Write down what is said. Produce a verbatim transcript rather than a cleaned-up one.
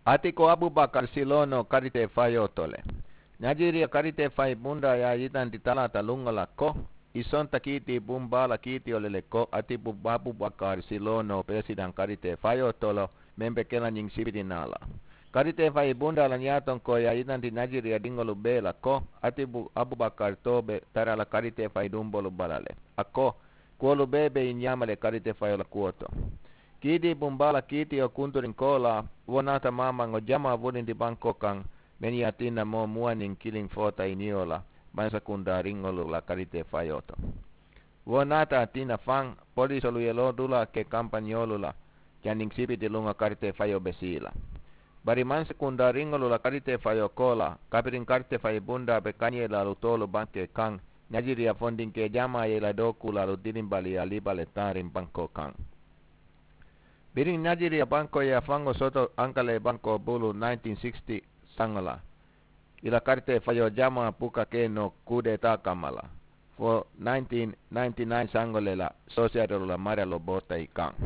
Ati ko abubakar silono karite fayoto le. Najiriya karite fai bunda ya yitanti talata lungo la ko i sonta kiti bumbala kiti ole le ko ati bu abubakar silono presidan karite fayoto lo. Membe kela nyin sibiti nala karite fai bunda la nyaton ko ya yitanti najiriya dingolu bela ko ati bu abubakar tobe tarala karite fai dumbolu balale. Ako kuwolu bee be i ñaama le karite fayola kuwo to. Kiiti bumbaa la kiitiyo kunturin koolaa wo naata maamaŋo jamaa wulindi bankoo kaŋ. Meŋ ye a tinna moo muwaniŋ kiliŋ foota i niyo la mansakundaa riŋolu la karite fayoo to. Wo naata a tinna faŋ poliisolu ye loo dulaa ke kampañoolu la. Janniŋ sibiti luŋo karite fayoo be sii la bari mansakundaa riŋolu la karite fayoo koolaa kabiriŋ karite fayi bundaa be kañeelaalu toolu bankee kaŋ. Najiriya fondinkee jamaa ye i la dookuulaalu dilimbaliyaa liba le taariŋ bankoo kaŋ. Biriŋ najiriya bankoo ye a faŋo soto ankalee bankoo bulu nineteen sixty saŋo la i la karitee fayoo jamaa buka ke noo kuudeetaa kamma la fo nineteen ninety nine saŋo le la soosiyatolu la mariyaloo boota i kaŋ.